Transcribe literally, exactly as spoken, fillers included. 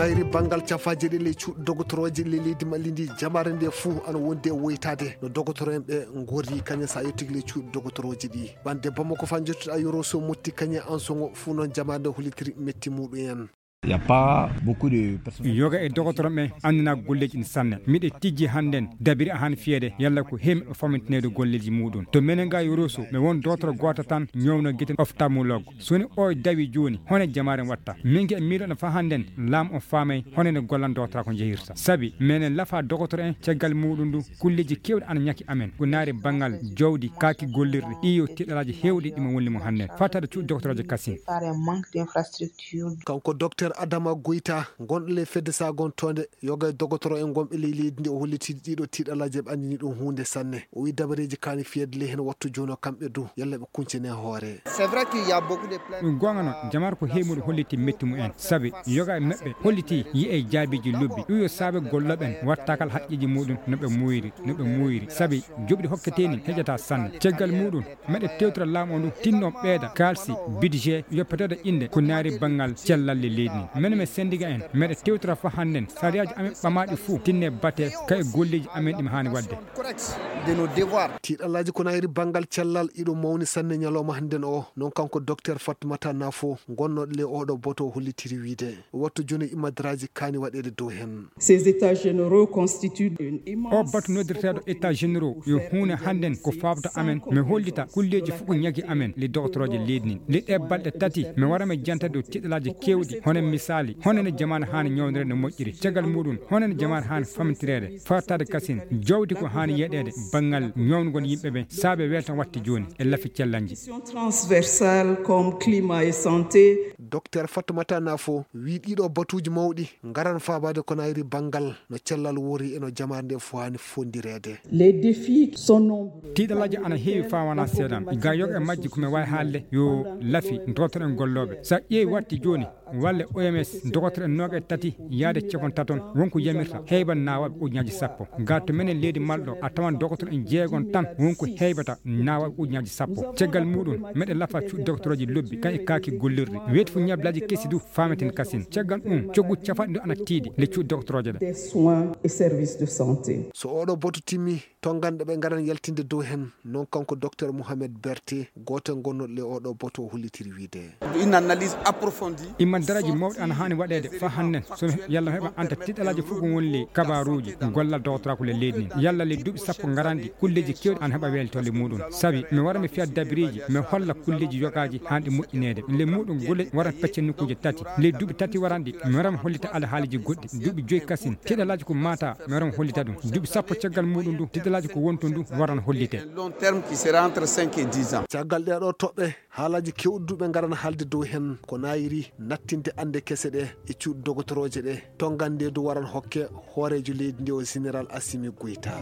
Iri banngal cafaaje ɗe ley cuuɗi dogotorooje ley leydi Mali ndi, jamaare nde fuu ana wondi e woytaade no dogotoro en ɓe ngorri kañum so a yettii ley cuuɗi dogotorooje ɗi. Bannde Bamako faa njottuɗaa Yoro so motti kañum e Ansoŋo fuu noon jamaare nde hollitiri metti muuɗum en. Il y a pas beaucoup de personnes. Yoga e dogotoro men annina golleeji ɗin sanne. Miɗe tijji hannden dabiri a han fiyeede yalla ko hemi o famintineede golleeji muuɗum. To menen ga Yoro so mi won dogotoro gooto tan ñowno gite ophtalmologue. So woni o dawi jooni, hono jamaare watta? Min ke miɗo no fa hannden laam o faamay hono ne gollan dogotoro ko njehirta. Sabi menen lafa dogotoro en caggal muuɗum ndu kulleeji keewɗi ana ñaki amen. Ko naari banngal jawdi, kaaki gollirɗi, iyo tiɗalaaji heewɗi ɗi mo wonni mo hannden. Fattaade cuuɗi dogotoroje kasin. Par un manque d'infrastructure. Kanko Docteur Adama Goyta, gonɗo ley fedde sagontoonde yoga e dogotoro en gonɓe ley leydi ndi, o holliti ɗiɗo tiɗalaaji ɓe anndini ɗum huunde sanne. O wi dabareeji kaani fiyeede ley heen wattu jooni o kamɓe du, yalla ɓe kuncine hoore. C'est vrai qu'il y a beaucoup de plaintes. Ɗum goonga noon, jamaare ko heewi muɗum holliti metti mumen. Sabi yoga e maɓɓe holliti yi'e jaabiiji lobbi. Ɗum yo saabe gollooɓe en wattakal haqqeeji muɗum no ɓe muuyri, no ɓe muuyri. Sabi joɓɗi hokketee ni heƴata sanne. Caggal muɗum, meɗe tewtora laamu o ndu tinno ɓeyda kaalsi budget yoppeteeɗo innde ko naari banngal cellal leydi ndi. Menen men sendiga en, meɗe tewtora fa hannden sariyaaji amen ɓamaaɗi fuu tinne bate ka e golleeji amen ɗi mi haani waɗde. Correct de nos devoirs. Tiiɗalaaji ko naayiri banngal cellal iɗo mawni sanne ñalawma hannden o, noon kanko Docteur Fatmata Nafo, gonnooɗo ley oɗo boto o hollitiri wiide. Wattu jooni imadaraaji kaani waɗeede dow heen. Ces états généraux constituent une immense. O batu noddirteeɗo état généraux yo huune hannden ko faabta amen, mi hollita kulleeji fof ko ñagi amen le doctorooje leydi ndin. Le ɗe balɗe tati, mi wara mi janta dow tiɗalaaji keewɗi, hono misaali, hono ne jamaane haani ñawndireede no moƴƴiri. Caggal muɗum, hono ne jamaane haani famintireede, fartaade kasin, jawdi ko haani yeɗeede, banngal ñawngol yimɓe ɓe, saabe weltan watti jooni, e lafi cellanji. Transversale comme climat et santé. Docteur Fatoumata Nafo wii ɗiɗo batuuji mawɗi ngaran faabaade ko nayri banngal no cellal wori e no jamaare nde fof haani fondireede. Les défis sont nombreux. Tiiɗalaaji ana heewi faa wanaa seeɗan. Ga yoga e majji ko mi waawi haalde yo lafi dotoro en gollooɓe. So a ƴeewi watti jooni, walla O M S, dogotoro en noogaye tati yaade capon taton wonko yamirta heyban naawaaɓe ujunnaaji sappo. Ga to menen leydi malɗo a tawan dogotoro en jeegon tan wonko heybata naawaaɓe ujunnaaji sappo. Caggal muɗum, meɗe lafa cuuɗi dogotorooji lobbi kan e kaaki gollirɗi. Weeti fu ñablaaji kesi du faameten kasin. Caggal ɗum, coggu cafanɗe ɗo ana tiiɗi le cuuɗi dogotorooje ɗe. Des soins et services de santé. So oɗo boto timmi, tonganɗe ɓe ngaran yaltinde dow hen, noon kanko Docteur Mohamed Berté, gooto e gonnooɗo le oɗo boto o hollitiri wiide. Une analyse approfondie. Imma daraaji mawɗi ana haani waɗeede fa hannden, so yalla heɓa anta tiiɗalaaji fof ko woni le kabaruuji gollal dogotoraaku le leydi ndin. Yalla le duuɓi sappo ngaranɗi, kulleeji keewɗi ana heɓa weeltolle muɗum. Sabi mi wara mi fiya dabiriiji, mi holla kulleeji yogaaji haanɗi moƴƴineede. Le muɗum gole waran pecce nokkuuje tati. Le duuɓi tati waranɗi, mi wara mi hollita alhaaliji goɗɗi. Duuɓi joyi kasin, tiiɗalaaji ko mata, mi wara mi hollita ɗum. Duuɓi sappo caggal muɗum du, tiiɗalaaji ko wonton du, waran hollite. Long terme qui sera entre cinq et dix ans. Caggal ɗee ɗoo toɓɓe, haalaaji keewɗi du ɓe ngaran haalde dow hen, ko nayiri nattinde annde kese ɗe e cuuɗi dogotorooje ɗe, tongannde du waran hokke hooreejo leydi ndi o Général Assimi Goïta.